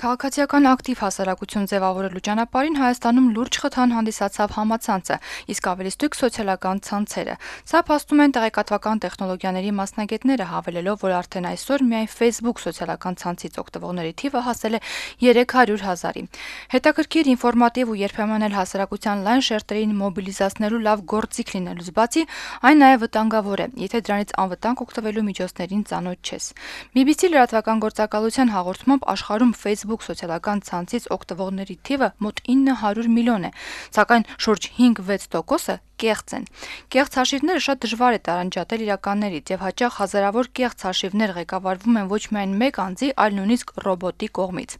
Քաղաքացիական ակտիվ հասարակություն ձևավորելու ճանապարհին Հայաստանում լուրջ խթան հանդիսացավ համացանցը, իսկ ավելի ստույգ սոցիալական ցանցերը։ Սա փաստում են տեղեկատվական տեխնոլոգիաների մասնագետները, հավելելով, որ արդեն այսօր միայն Facebook սոցիալական ցանցից օգտվողների թիվը հասել է 300,000-ի։ Հետաքրքիր, ինֆորմատիվ ու երբեմն էլ հասարակության լայն շերտերին մոբիլիզացնելու լավ գործիք լինելուց բացի, այն նաև վտանգավոր է, եթե դրանից անվտանգ օգտվելու միջոցներին ծանոթ չես։ BBC լրատվական գործակալության հաղորդմամբ աշխարհում Facebook սոցիալական ցանցից օգտվողների թիվը մոտ 900 միլիոն է, սակայն շուրջ 5-6%-ը կեղծ են։ Կեղծ հաշիվները շատ դժվար է տարանջատել իրականներից եւ հաճախ հազարավոր կեղծ հաշիվներ ղեկավարվում են ոչ միայն մեկ անձի, այլ նույնիսկ ռոբոտի կողմից։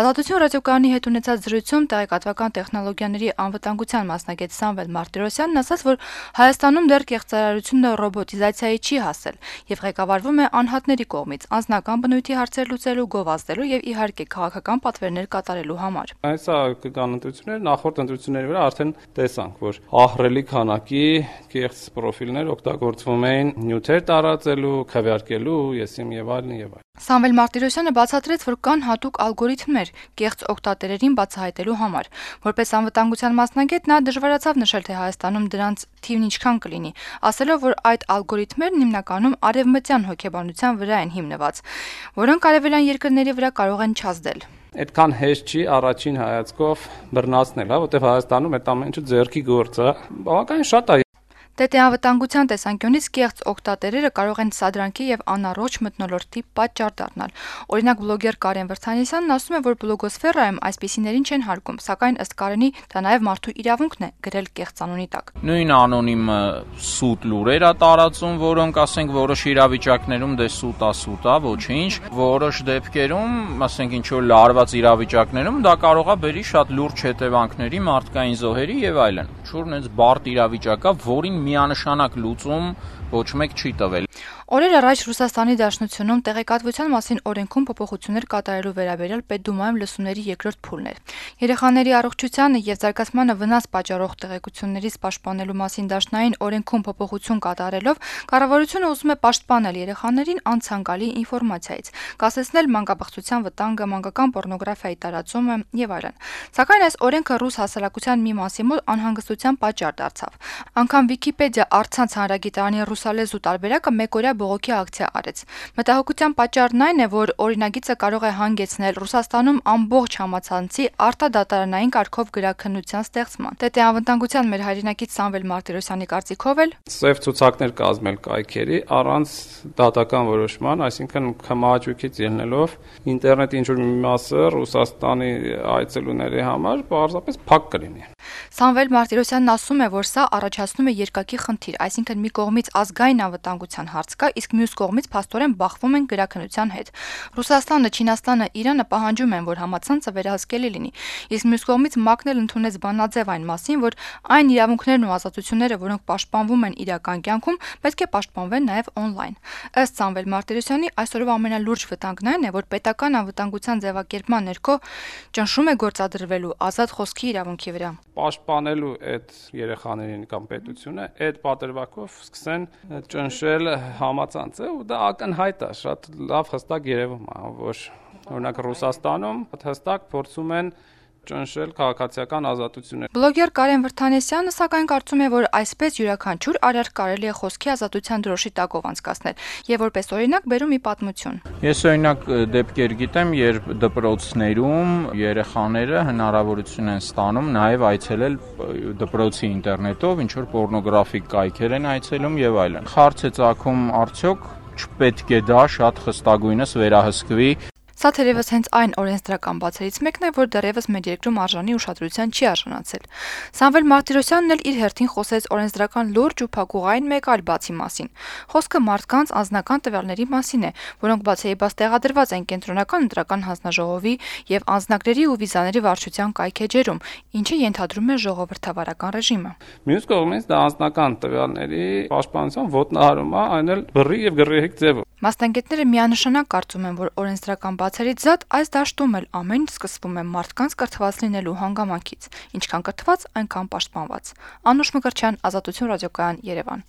Ազատություն ռադիոկայանի հետ ունեցած զրույցում տեղեկատվական տեխնոլոգիաների անվտանգության մասնագետ Սամվել Մարտիրոսյանն ասաց, որ Հայաստանում դեռ կեղծարարությունը ռոբոտիզացիայի չի հասել եւ ղեկավարվում է անհատների կողմից անձնական բնույթի հարցեր լուծելու, գովազդելու եւ իհարկե քաղաքական պատվերներ կատարելու համար։ Այսա կան ընտրություններ, նախորդ ընտրությունների վրա արդեն տեսանք, որ ահռելի քանակի կեղծ պրոֆիլներ օգտագործվում էին նյութեր տարածելու, քվեարկելու, եսիմ եւ այլն եւ այլն։ Սամվել Մարտիրոսյանը բացատրեց, որ կան հատուկ ալգորիթմներ կեղծ օգտատերերին բացահայտելու համար։ Որպես անվտանգության մասնագետ նա դժվարացավ նշել, թե Հայաստանում դրանց թիվն ինչքան կլինի, ասելով, որ այդ ալգորիթմերն հիմնականում արևմտյան հոգեբանության վրա են հիմնված, որոնք արևելյան երկրների վրա կարող են չազդել։ Այդքան հեշտ չի առաջին հայացքով բռնացնել, որտեղ Հայաստանում այդ ամեն ինչը ձեռքի գործ է, բավականին շատ է։ Անվտանգության տեսանկյունից կեղծ օգտատերերը կարող են սադրանքի եւ անառողջ մթնոլորտի պատճառ դառնալ։ Օրինակ բլոգեր Կարեն Վրդանիսյանն ասում է, որ բլոգոսֆերայում այսպիսիներին չեն հարգում, սակայն ըստ Կարենի դա նաեւ մարդու իրավունքն է գրել կեղծ անունի տակ։ Նույն անոնիմը սուտ լուրեր է տարածում, որոնք ասենք որոշ իրավիճակներում դե սուտ է, ոչինչ, որոշ դեպքերում, ասենք ինչ որ լարված իրավիճակներում դա կարող է բերի շատ լուրջ հետևանքների, մարդկային զոհերի եւ այլն։ Շուրջ այնց բարդ իրավիճակա, որին միանշանակ լուծում ոչ մեկ չի տվել։ Օրեր առաջ Ռուսաստանի Դաշնությունում տեղեկատվության մասին օրենքում փոփոխություններ կատարելու վերաբերյալ Պետդումայում լսումների երկրորդ փուլն էր։ Երեխաների առողջությանը եւ զարգացմանը վնաս պատճառող տեղեկություններից պաշտպանելու մասին դաշնային օրենքում փոփոխություն կատարելով կառավարությունը ուզում է պաշտպանել երեխաներին անցանկալի ինֆորմացիայից, կասեցնել մանկաբարձության վտանգը, մանկական պոռնոգրաֆիայի տարածումը եւ այլն։ Սակայն այս օրենքը ռուս հասարակության մի մասի մոտ անհանգստության պատճառ դարձավ։ Անգամ Վիկիպեդիա առցանց հանրագիտարանի ռուսալեզու տարբերակը մեկօրյա բողոքի ակցիա արեց։ Մտահոգության պատճառն այն է, որ օրինագիծը կարող է հանգեցնել Ռուսաստանում ամբողջ համացանցի արտադատարանային կարգով գրաքննության ստեղծման։ Անվտանգության մեր հայրենակից Սամվել Մարտիրոսյանի կարծիքով էլ սև ցուցակներ կազմել կայքերի առանց դատական որոշման, այսինքն քմահաճույքից ելնելով ինտերնետի ինչ-որ մի մասը Ռուսաստանի այցելուների համար պարզապես փակ կլինի։ Սամվել Մարտիրոսյանն ասում է, որ սա առաջացնում է երկակի խնդիր, այսինքն մի կողմից ազգային անվտանգության հարց կա, իսկ մյուս կողմից փաստորեն բախվում են գրաքննության հետ։ Ռուսաստանը, Չինաստանը, Իրանը պահանջում են, որ համացանցը վերահսկելի լինի, իսկ մյուս կողմից ՄԱԿ-ն էլ ընդունեց բանաձև այն մասին, որ այն իրավունքներն ու ազատությունները, որոնք պաշտպանվում են իրական կյանքում, պետք է պաշտպանվեն նաև օնլայն։ Ըստ Սամվել Մարտիրոսյանի, այսօրվա ամենալուրջ վտանգն այն է, որ պետական անվտանգության ձևակերպման ներքո ճնշում է գործադրվելու ազատ խոսքի իրավունքի վրա։ Պաշտպանելու այդ երեխաներին կամ պետությունը այդ պատրվակով սկսեն ճնշել համացանցը ու դա ակնհայտ է, շատ լավ հստակ երևում է, որ օրինակ Ռուսաստանում հստակ փորձում են ճնշել քաղաքացիական ազատությունները։ Բլոգեր Կարեն Վրդանեսյանը սակայն կարծում է, որ այսպես յուրաքանչյուր արարք կարելի է խոսքի ազատության դրոշի տակով անցկացնել եւ որպես օրինակ բերում մի պատմություն։ Ես օրինակ դեպքեր գիտեմ, երբ դպրոցներում երեխաները հնարավորություն են ստանում նաեւ այցելել դպրոցի ինտերնետով, ինչ որ պոռնոգրաֆիկ կայքեր են այցելում եւ այլն։ Հարց է ծագում, արդյոք չպետք է դա շատ խստագույնս վերահսկվի։ Սա թերևս հենց այն օրենսդրական բացերից մեկն է, որ դեռևս մեր երկրում արժանի ուշադրության չի արժանացել։ Սամվել Մարտիրոսյանն էլ իր հերթին խոսեց օրենսդրական լուրջ ու փակուղային մեկ այլ բացի մասին։ Խոսքը մարդկանց անձնական տվյալների մասին է, որոնք բացեիբաց տեղադրված են կենտրոնական ընտրական հանձնաժողովի եւ անձնակների ու վիզաների վարչության կայքեջերում, ինչը ենթադրում է ժողովրդավարական ռեժիմը։ Մյուս կողմից դա անձնական տվյալների պաշտպանության ոտնահարում է, այն էլ բռի եւ գռեհիկ ձևով։ Մասնագետները միանշանակ կարծում են, որ օրենսդրական բացերից զատ այս դաշտում էլ ամեն ինչ սկսվում է մարդկանց կրթված լինելու հանգամանքից, ինչքան կրթված, այնքան պաշտպանված։ Անուշ Մկրտչյան, Ազատություն ռադիոկայան, Երևան։